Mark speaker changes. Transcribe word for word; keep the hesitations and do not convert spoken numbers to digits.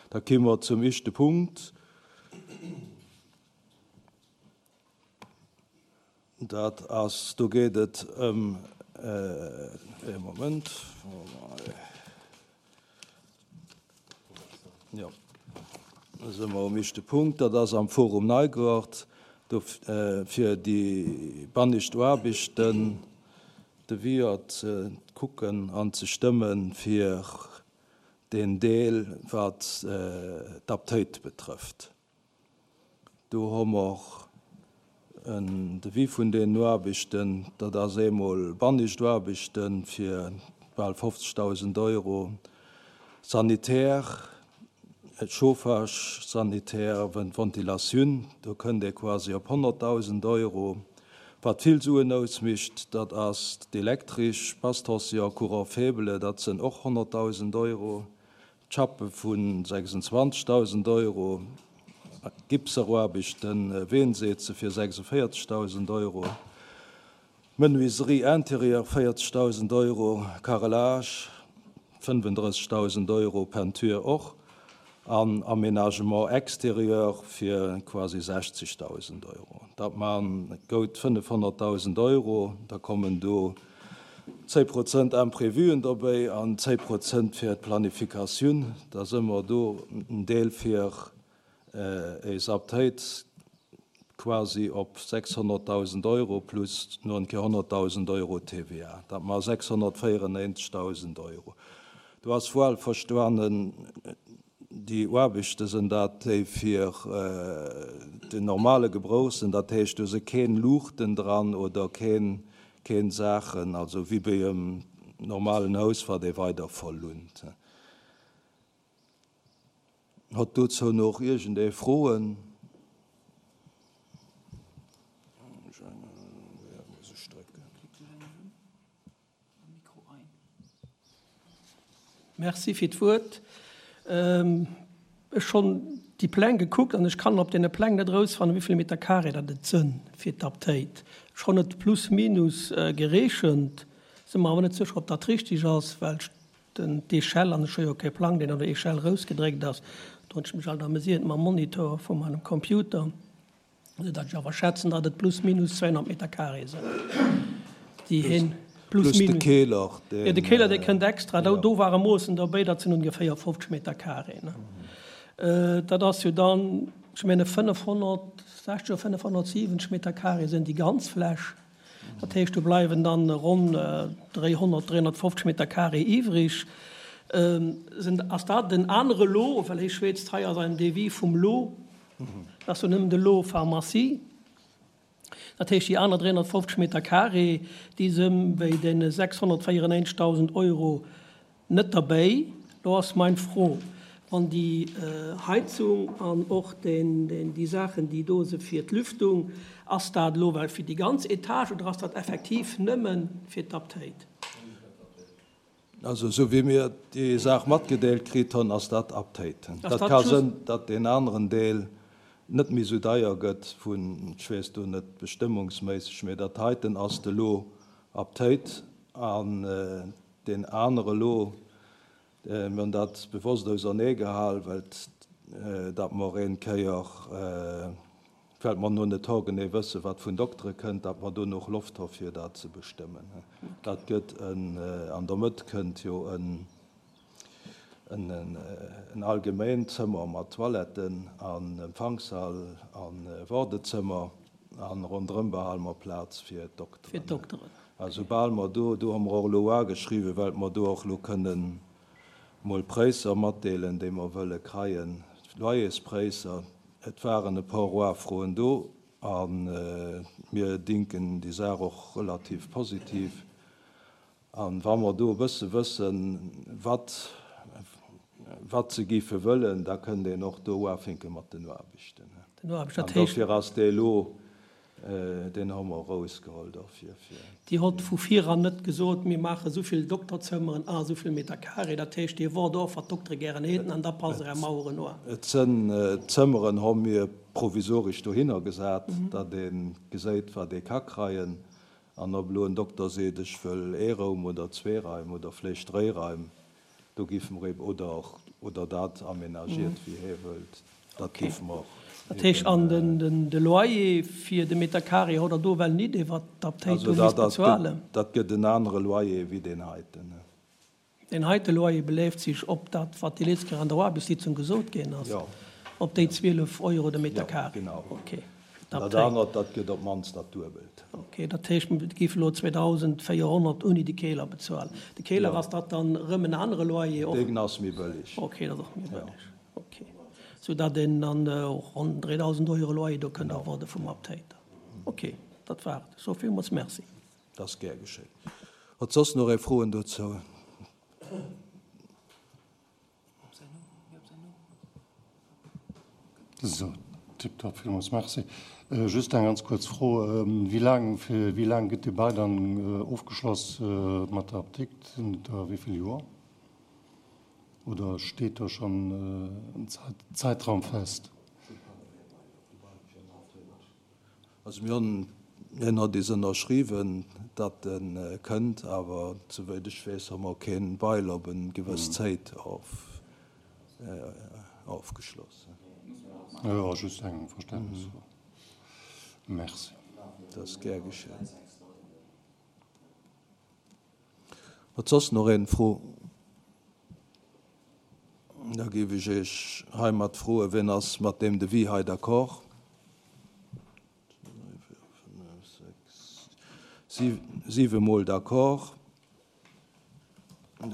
Speaker 1: Da komme mer zum éischte Punkt. Dat ass, do geet et ëm, ee Moment, jo, da si mer um éischte Punkt, dat ass am Forum Neigaart, do fir déi bannescht Aarbechten, Devis ze kucken an ze stëmmen fir deen Deel, wat d'Aptéit betrëfft. Do hu mer en Devis vun deenen Aarbechten, dat ass eemol bannescht Aarbechte fir bal fofzegdausend Euro, Sanitär, Chauffage sanitaire, Ventilatioun, do kënnt ee quasi op honnertdausend Euro. Wat vill Suen ausmécht, dat ass d'Elektresch, Basse-tension, Courant faible, dat sënn och honnertdausend Euro, d'Chappe vu sechsundzwanzegdausend Euro, Gipseraarbechten, Weenseeze fir sechsundvéierzegdausend Euro, Menuiserie intérieure véierzegdausend Euro, Carrelage fënnfendrëssegdausend Euro, Peinture och, an Aménagement extérieur fir quasi sechzegdausend Euro. Dat man gout fënnefhonnertdausend Euro. Da kommen do zéi Prozent Imprévuen dobäi an zéi Prozent fir d'Planifikatioun. Da si mer do en Deel fir eis Aptéit quasi op sechshonnertdausend Euro plus no en Kéier honnertdausend Euro T V A. Dat mar sechshonnertvéierenneenzeghdausend Euro. Do ass wuel verstanen, déi Aarbechte sinn dat, déi fir den normale Gebrauch sinn, dat heescht, do si keen Luuchten dran oder keen keen Saachen, also wéi bei engem normalen Haus, wat ee weider verlount. Hott dozou nach iergendee Froen?
Speaker 2: Merci fir d'Wuert. Ech hunn déi Pläng gekuckt an ech kann op deene Pläng net erausfannen, wéi vill Meter carré dat et sënn fir d'Aptéit. Ech hunn et plus minus gereechent, si mer awer net sécher, ob dat richtig ass, well ech den d'Échelle, an ech hu jo kee Plang, deen an der Échelle erausgedréckt ass, do hunn ech mech alt amüsiert mam Monitor vu meinem Computer. Esou datt ech awer schätzen, datt et plus minus zweihonnert Meter carré sinn, déi hien plus
Speaker 1: Plus de
Speaker 2: minus.
Speaker 1: Keeler,
Speaker 2: Jo, de
Speaker 1: deen,
Speaker 2: Keeler, dee kënnt extra. Do,
Speaker 1: jo.
Speaker 2: do ware Moossen derbäi, dat sinn ongeféier fofzeg Meter carré, ne? Dat ass jo dann, ech menge fënnefhonnertsechzeg oder fënnefhonnertsiwwenzeg Meter carré sinn déi ganz Fläch. Dat heescht, do bleiwen dann ronn dräihonnert, dräihonnertfofzeg Meter carré iwwrig. Sinn, ass dat den anere Lot, well hie schwätzt hei a seinem Devis vum Lot, dat ass jo nëmmen de Lot Pharmacie. Dat heescht, déi aner dräihonnertfofzeg Meter carré, déi si bei deene sechshonnertvéierenneenzeghdausend Euro net derbäi. Do ass meng Fro, wann déi Heizung an och déi Saachen, déi do si fir d'Lüftung, ass dat elo well fir déi ganz Etage oder ass dat effektiv nëmme fir d'Aptéit?
Speaker 1: Also esou wéi mir déi Saach matgedeelt kritt hunn, ass dat Aptéit.
Speaker 2: Ass
Speaker 1: Dat
Speaker 2: dat
Speaker 1: ka
Speaker 2: just.
Speaker 1: sënn, datt deen aneren Deel net méi esou deier gëtt vun, ech weess do net bestëmmungsméisseg, mee dat heiten ass de Lot Aptéit an deen anere Lot, mir hunn dat bewosst auserneegehal, well datt mer een Kéier, well mer no net haargenee wëssen, wat vun Doktere kënnt, datt mer do nach Loft hu fir dat ze bestëmmen. Dat gëtt en, an der Mëtt kënnt jo en, en allgemeent Zëmmer mat Toiletten an Empfangssall a Wardezëmmer an ronderëm behale mer Plaz fir
Speaker 2: Fir
Speaker 1: d'Dokteren.
Speaker 2: d'Dokteren.
Speaker 1: A soubal mer do, do hu mer och elo ageschriwwen, well mer do och elo kënnen mol Präisser matdeelen, déi mer wëlle kreien, Loyerspräisser. Et waren e puer Ufroen do a mir dinken déi Saach och relativ positiv. An wa mer do e bësse wëssen, wat, wat se géife wëllen, da kënnt een och do ufänke mat den Aarbechten.
Speaker 2: Den Aarbechten,
Speaker 1: An
Speaker 2: dat heescht.
Speaker 1: dofir ass dee elo, deen hu mer erausgeholl dofir, fir.
Speaker 2: Dir hott vu viran net gesot, mir maache souvill Dokterzëmmeren a souvill Meter carré. Dat heescht, Dir wort och, wat d'Doktere gären hätten, an da passt Der Är Maueren un.
Speaker 1: Et sënn Zëmmeren hu mir provisoresch dohinner gesat, datt ee geséit, wat ee ka kreien. An ob elo en Dokter seet, ech wëll ee Raum oder zwee Raim oder vläicht dréi Raim, do géife mer eben, oder, oder dat aménagiert, wéi hie wëllt. Dat géife mer och.
Speaker 2: Dat heescht, an den, de Loyer fir de Meter carré hutt Der do well nit iwwert d'Aptéit do misst bezuelen?
Speaker 1: Dat gëtt en anere Loyer wéi deen heiten.
Speaker 2: Deen heite Loyer beléift sech op dat, wat déi letzt Kéier an der Aarbechtssitzung gesot ginn ass, op déi zwielef Euro de Meter carré?
Speaker 1: Jo, genau.
Speaker 2: Okay.
Speaker 1: Dat anert, dat gëtt op d'mannst dat Duebelt.
Speaker 2: Okay, dat heescht, mir géife elo zweedausendvéierhonnert ouni de Keler bezuelen. De Keler, ass dat dann erëm en anere Loyer och?
Speaker 1: Deen ass méi bëlleg.
Speaker 2: Okay, dat ass och méi bëlleg. Okay. Soudatt een dann och ronn dräidausend Euro Loyer do kënnt erwaarde vum Aptéiter. Okay, dat war et. Ech soe villmools Merci.
Speaker 1: Dat ass gär geschéien. Huet soss nach ee Froen dozou?
Speaker 3: Esou, tiptop, villmools Merci. Just eng ganz kuerz Fro, Wéi laang, fir wéi laang gëtt dee Bail dann ofgeschloss mat der Apdikt? Sinn et der wéi vill Joer? Oder steet do schonn en Zäitraum fest?
Speaker 1: Also mir hunn, hien huet is ënnerschriwwen, datt e kënnt, awer souwéit ech weess, hu mer kee Bail op eng gewëss Zäit ofgeschloss.
Speaker 3: Jo, just eng Verständnisfro. Merci.
Speaker 1: Dat ass gär geschéien. Huet soss nach een Fro? Da géif ech Iech heimat froen, wien ass mat deem Devis hei d'accord? Siwe mol d'accord.